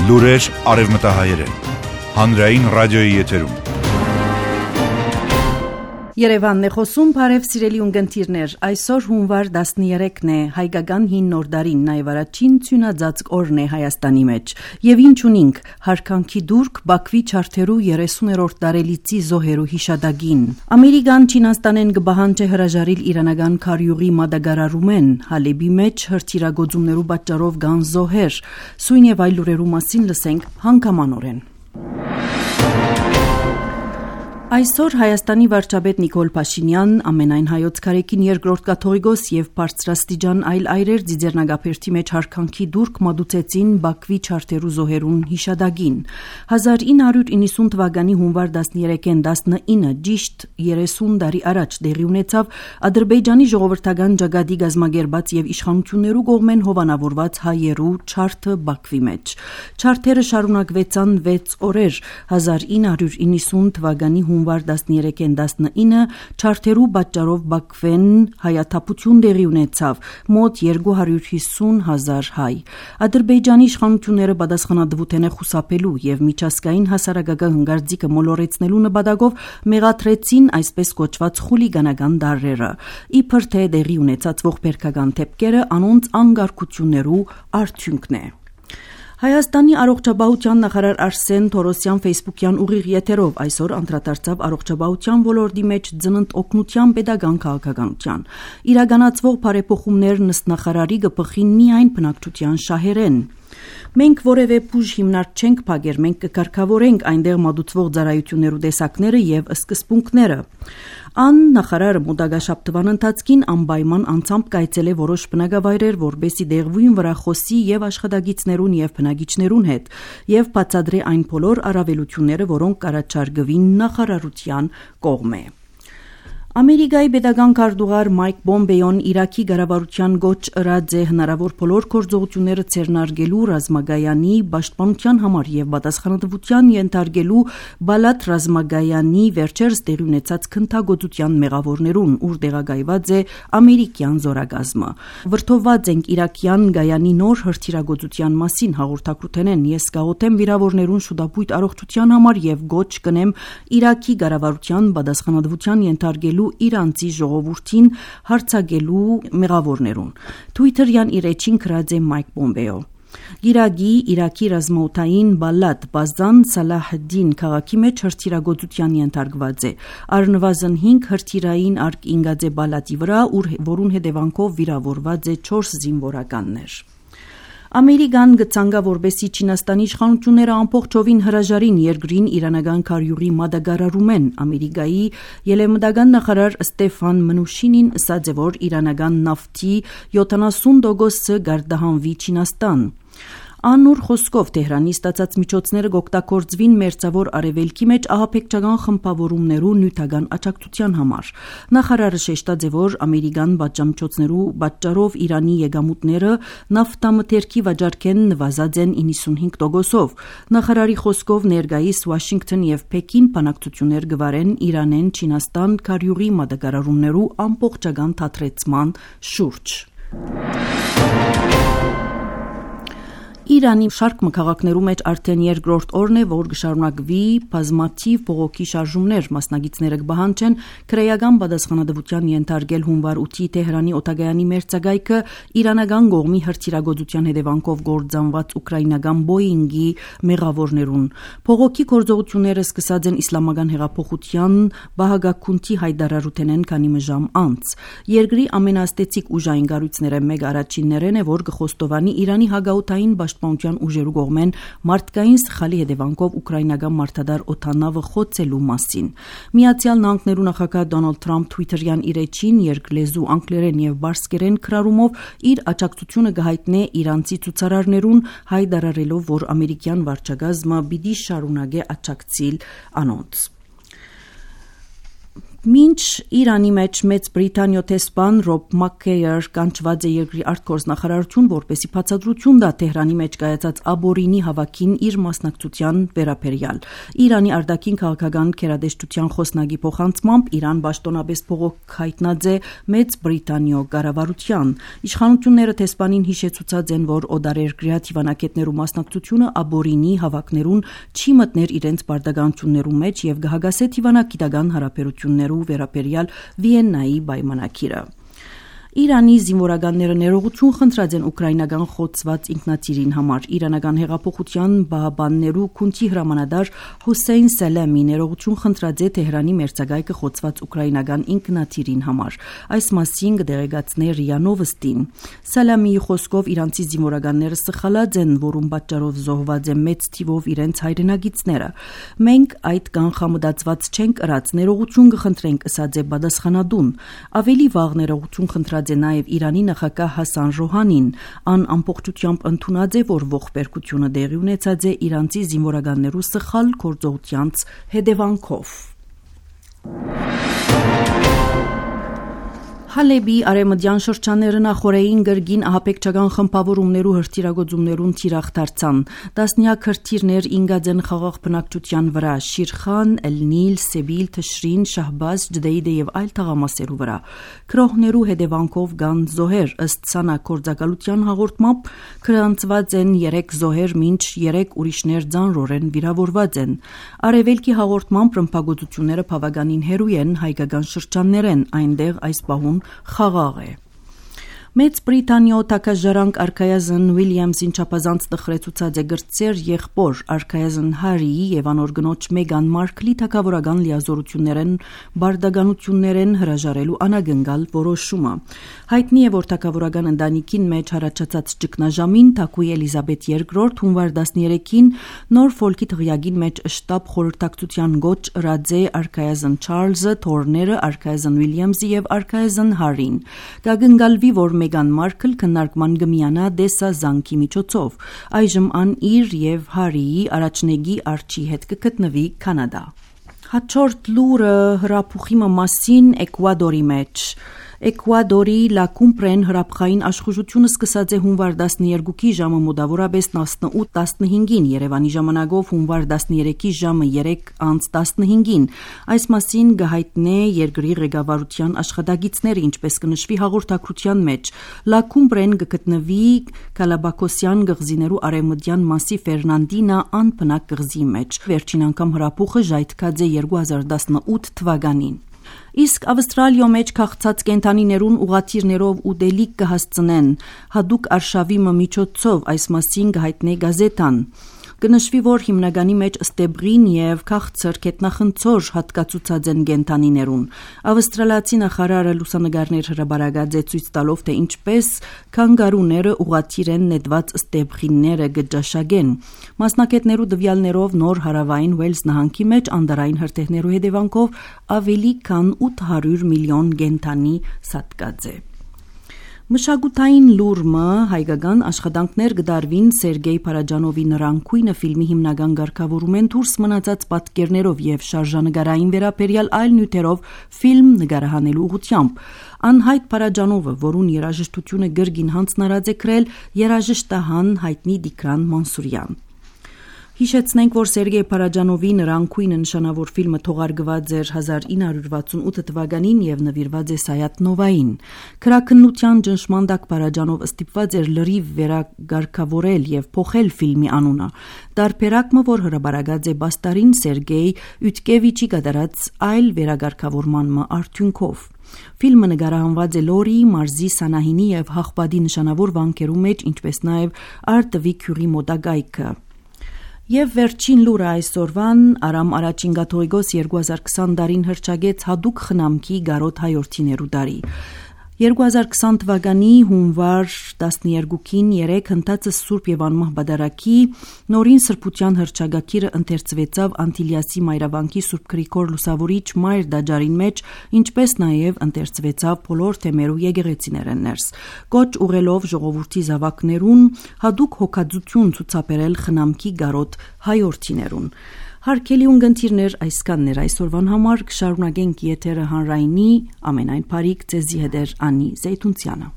Լուրեր արևմտահայերեն։ Հանրային ռադիոյի եթերում։ Երևանն է խոսում, բարև սիրելի ունգընտիրներ, այսօր հունվար 13-ն է, հայկական հին նոր տարին, նաև առաջին ցյունաձած օրն է Հայաստանի մեջ։ Եվ ինչ ունինք, հարկանքի դուրք Բաքվի չարթերու 30-րդ տարելիցի զոհերու հիշադակին։ Ամերիկան Չինաստանեն կբահանջի հրաժարիլ իրանական քարյուղի մատակարարումեն, Հալեբի մեջ հրթիռագործումներու պատճառով կան զոհեր։ Սույն եւ այլ լուրերու մասին լսենք հանգամանորեն։ Այսօր Հայաստանի վարչապետ Նիկոլ Փաշինյան, ամենայն հայոց քարեկին երկրորդ կաթողիկոս եւ բարձրաստիճան այլ այրեր Ձիձեռնագապերտի մեջ հարկանքի դուրք մատուցեցին Բաքվի չարթերու զոհերուն հիշադակին։ 1990 թվականի հունվար 13-ին 19 ճիշտ 30 տարի առաջ դեղի ունեցավ Ադրբեջանի ժողովրդական ջագադի գազմագերբած եւ իշխանություններու կողմեն հովանավորված հայերու չարթը Բաքվի մեջ։ Չարթերը շարունակվեցան 6 օրեր 1990 թվականի հունվար 13-ին 19 չարթերու պատճառով Բաքվեն հայաթափություն դեղի ունեցավ մոտ 250,000 հայ։ Ադրբեջանի իշխանությունները պատասխանատվութեն է խուսափելու եւ միջազգային հասարակական հնգարձիկը մոլորեցնելու նպատակով մեղադրեցին այսպես կոչված խուլիգանական դարերը։ Իբր թե դեղի ունեցած ողբերգական դեպքերը անոնց անկարգություններու արդյունքն է։ Հայաստանի առողջապահության նախարար Արսեն Թորոսյան ֆեյսբուքյան ուղիղ եթերով այսօր անդրադարձավ առողջապահության ոլորտի մեջ ծնընդ օգնության պետական քաղաքականության։ Իրականացվող բարեփոխումներն ըստ նախարարի կփխին միայն բնակչության շահերեն։ Մենք որևէ բուժ հիմնարկ չենք փակեր, մենք կկարգավորենք այնտեղ մատուցվող ծառայություններու տեսակները եւ սկզբունքները։ Ան նախարարը մոտակաշաբթվան ընթացքին անպայման անցամբ կայցել է որոշ բնակավայրեր, որբեսի դեղվույն վրա խոսի եւ աշխատակիցներուն եւ բնակիչներուն հետ եւ բացադրի այն բոլոր առավելությունները, որոնք կառաջարկվին նախարարության կողմէ։ Ամերիկայի պետական քարտուղար Մայք Պոմպեոն Իրաքի ղարավարության գոչ ըրած է հնարավոր բոլոր գործողությունները ցերնարգելու ռազմագայանի պաշտպանության համար եւ պատասխանատվության ենթարկելու Բալատ ռազմագայանի վերջերս տեղի ունեցած քննադատության մեղավորներուն, ուր տեղակայված է ամերիկյան զորագազմը։ Վրթովված ենք իրաքյան գայանի նոր հրթիռագործության մասին հաղորդակցութենեն ես գաղութեմ վիրավորներուն շուտապույտ առողջության համար եւ գոչ կնեմ Իրաքի ղարավարության պատասխանատվության ենթարկելու իրանցի ժողովրդին հարցակելու մեղավորներուն։ Թվիթերյան իր էջին գրած է Մայք Պոմպեո։ Իրաքի ռազմաօդային Բալատ Բազան Սալահդին քաղաքի մեջ հրթիռագործության ենթարկված է։ Առնվազն 5 հրթիռային արկ ինգած է Բալատի վրա, որուն հետևանքով վիրավորված է 4 զինվորականներ։ Ամերիկան գծանգա որբեսի Չինաստանի իշխանությունները ամբողջովին հրաժարին երկրին իրանական քարյուղի մատակարարումեն։ Ամերիկայի ելեմտական նախարար Ստեֆան Մնուշինին ասաց է, որ իրանական նավթի 70% գարդահանվի Չինաստան։ Անուր խոսքով Թեհրանի ստացած միջոցները կօգտագործվին մերձավոր արևելքի մեջ ահաբեկչական խմբավորումներու նյութական աջակցության համար։ Նախարարը շեշտած է, որ ամերիկան պատժամիջոցներու պատճառով Իրանի եկամուտները նավթամթերքի վաճառքեն նվազած են 95%-ով։ Նախարարի խոսքով ներկայիս Վաշինգտոն եւ Պեկին բանակցություններ կվարեն Իրանեն Չինաստան քարյուղի մատակարարումներու ամբողջական թատրեցման շուրջ։ Իրանի շարք քաղաքներու մեջ արդեն երկրորդ օրն է, որ կշարունակվի բազմաթիվ բողոքի շարժումներ, մասնագետները կբահանջեն քրեական պատասխանատվության ենթարկել հունվար 8-ի Թեհրանի օտագայանի մերձակայքը իրանական կողմի հրթիռագործության հետևանքով գործանված ուկրաինական Boeing-ի մեղավորներուն։ Բողոքի գործողությունները սկսած են իսլամական հեղափոխության բահագակունթի հայտարարութենեն քանի ժամ անց։ Երկրի ամենաստեցիկ ուժային կառույցները մեկ առաջիններն է, որ կխոստովանի Իրանի հագաութային պաշտպանության ուժերու կողմեն մարդկային սխալի հետևանքով ուկրաինական մարդադար օդանավը խոցելու մասին։ Միացյալ Նահանգներու նախագահ Դոնալդ Թրամփ Թվիթերյան իր էջին երկլեզու անգլերեն եւ բարսկերեն քրարումով իր աջակցությունը կհայտնե իրանցի ցուցարարներուն, հայտարարելով, որ ամերիկյան վարչակազմը պիտի շարունակե աջակցել անոնց։ Մինչ Իրանի մեջ Մեծ Բրիտանիա տեսփան Ռոբ Մաքքեյեր կանչված է երկրի արտգործնախարարություն, որպեսզի բացատրություն տա Թեհրանի մեջ կայացած աբորինի հավաքին իր մասնակցության վերաբերյալ։ Իրանի արտաքին քաղաքական քերադեշտության խոսնագի փոխանցմամբ Իրան պաշտոնապես բողոք հայտնած է Մեծ Բրիտանիա կառավարության։ Իշխանությունները տեսփանին հիշեցուցած են, որ օտարերկրյա թիվանակետներու մասնակցությունը աբորինի հավաքներուն չի մտներ իրենց պարտականություններու մեջ եւ կհագասե թիվանակիտական հարաբերություններու վերաբերյալ Վիեննայի պայմանագիրը։ Իրանի զինվորականները ներողություն խնդրած են ուկրաինական խոցված ինքնաթիռին համար։ Իրանական հեղափոխության բահաբաններու քունթի հրամանատար Հուսեյն Սալամի ներողություն խնդրած է Թեհրանի մերձակայքը խոցված ուկրաինական ինքնաթիռին համար։ Այս մասին կդեղեկացնե ՌԻԱ Նովոստին։ Սալամիի խոսքով իրանցի զինվորականները սխալած են, որում պատճառով զոհված է մեծ թիվով իրենց հայրենագիցները։ Մենք այդ կանխամտածված չենք ըրած, ներողություն կխնդրենք, ըսած է պատասխանատուն։ Ավելի վաղ ներողություն խնդրած է նաև Իրանի նախագահ Հասան Ռոհանին։ Ան ամբողջությամբ ընդունած է, որ ողբերգությունը տեղի ունեցած է իրանցի զինվորականներու սխալ գործողությանց հետևանքով։ Հալեբի արևմտյան շրջանները նախորդային գրգին ահաբեկչական խմբավորումներու հրթիռագործումներուն թիրախ դարձան։ Տասնյակ հրթիռներ ինգած են խաղաղ բնակչության վրա՝ Շիրխան, Էլ-Նիլ, Սեբիլ, Թշրին, Շահբազ, Ջդեյդե եւ այլ թաղամասերու վրա։ Քրոհներու հետևանքով կան զոհեր, ըստ ՍԱՆԱ գործակալության հաղորդմամբ գրանցված են 3 զոհեր, մինչ 3 ուրիշներ ծանրորեն վիրավորված են։ Արևելքի հաղորդմամբ ռմբակոծությունները բավականին հեռու են հայկական շրջաններեն, այնտեղ այս պահուն խաղաղ է։ Մեծ Բրիտանիա թագաժարանք արքայազն Ուիլյամսին չափազանց տխրեցուցած է գրծեր եղբոր արքայազն Հարիի եւ անոր գնոջ Մեգան Մարքլի թագավորական լիազորություններեն բարդականություններեն հրաժարելու անագնգալ որոշումը։ Հայտնի է, որ թագավորական ընտանիքին մեջ առաջացած ճգնաժամին թագուհի Էլիզաբեթ II հունվար 13-ին Նորֆոլքի թղիագին մեջ շտաբ խորհրդակցության գոչ ըրած է արքայազն Չարլզը, թորները արքայազն Ուիլյամսի եւ արքայազն Հարին։ Կագնգալվի, որ Մեգան Մարքլ քննարկման գմիանա դեսազանգի միջոցով։ Այժմ ան իր եւ Հարիի առաջնեգի Արչի հետ կգտնվի Կանադա։ Հաջորդ լուրը հրապուխի մասին Էկվադորի մեջ։ Էկվադորի Լակումպրեն հրապխային աշխուժությունը սկսած է հունվար 12-ի ժամը մոտավորապես 18:15-ին, Երևանի ժամանակով հունվար 13-ի ժամը 3:15-ին։ Այս մասին կհայտնե երկրի ղեկավարության աշխատակիցները, ինչպես կնշվի հաղորդակցության մեջ։ Լակումպրեն կգտնվի Կալաբակոսյան գղզիներու արևմտյան մասի Ֆերնանդինա անբնակ գղզի մեջ։ Վերջին անգամ հրապուխը ժայթքած է 2018 թվականին։ Իսկ Ավստրալիա մեջ քաղցած կենթանիներուն ուղաթիռներով ուտելիք կհասցնեն հadouk արշավի միջոցով, այս մասին կհայտնե գազետան։ Կնշվի, որ հիմնականի մեջ ստեբրին եւ քաղցր կետնախնձոր հատկացուցած են կենթանիներուն։ Ավստրալիացի նախարարը լուսանգարներ հրաբարացած է ցույց տալով, թե ինչպես քանգարուները ուղղաթիռ են նետված ստեբրինները գճաշագեն։ Մասնակիցներու դվյալներով նոր հարավային Ուելս նահանգի մեջ անդարային հրթիռներու հետևանքով ավելի քան 800 միլիոն կենթանի սատկած է։ Մշակութային լուրը հայկական աշխատանքներ կդարվին Սերգեյ Փարաջանովի Նռանկույնը ֆիլմի հիմնական ղեկավարումեն դուրս մնացած պատկերներով եւ շարժանագարային վերաբերյալ այլ նյութերով ֆիլմ նկարահանելու ուղղությամբ։ Անհայտ Փարաջանովը, որուն երաժշտությունը գրգին հանձնարարած է գրել երաժշտահան հայտնի Դիկրան Մանսուրյան։ Հիշեցնենք, որ Սերգեյ Փարաջանովի Նռանկույնը նշանավոր ֆիլմը թողարկված էր 1968 թվականին եւ նվիրված է Սայաթ Նովային։ Քրաքննության ճնշման տակ Փարաջանովը ստիպված էր լրիվ վերագարկավորել եւ փոխել ֆիլմի անունը։ Տարբերակը, որ հրաբարացած է Բաստարին Սերգեյ Յուտկևիչի կատարած այլ վերագարկավորման արդյունքով։ Ֆիլմը նկարահանված է Լորի, Մարզի, Սանահինի եւ Հաղպատի նշանավոր վանքերու մեջ, ինչպես նաեւ Արտվի քյուրի մոտակայքը։ Եվ վերջին լուրը այսօրվան Արամ առաջին Կաթողիկոս 2020 դարին հռչակեց հadouk խնամքի գարոտ հայորդիներու դարի։ 2020 թվականի հունվար 12-ին 3 հնդածը Սուրբ եւ Անմահ Բադարակի նորին սրբության հռչակագիրը ընթերցվեցավ Անտիլիասի Մայրավանքի Սուրբ Գրիգոր Լուսավորիչ Մայր դաջարին մեջ, ինչպես նաեւ ընթերցվեցավ բոլոր թեմերու եկեղեցիներեն ներս։ Կոչ ուղելով ժողովրդի զավակներուն հadouk հոգածություն ցուցաբերել խնամքի գարոտ հայորդիներուն։ Հարգելի ունգընտիրներ, այսքանն էր այսօրվան համար, կշարունակենք եթերը հանրայինի, ամենայն բարիք ձեզի հետ Անի Զեյթունցյանը։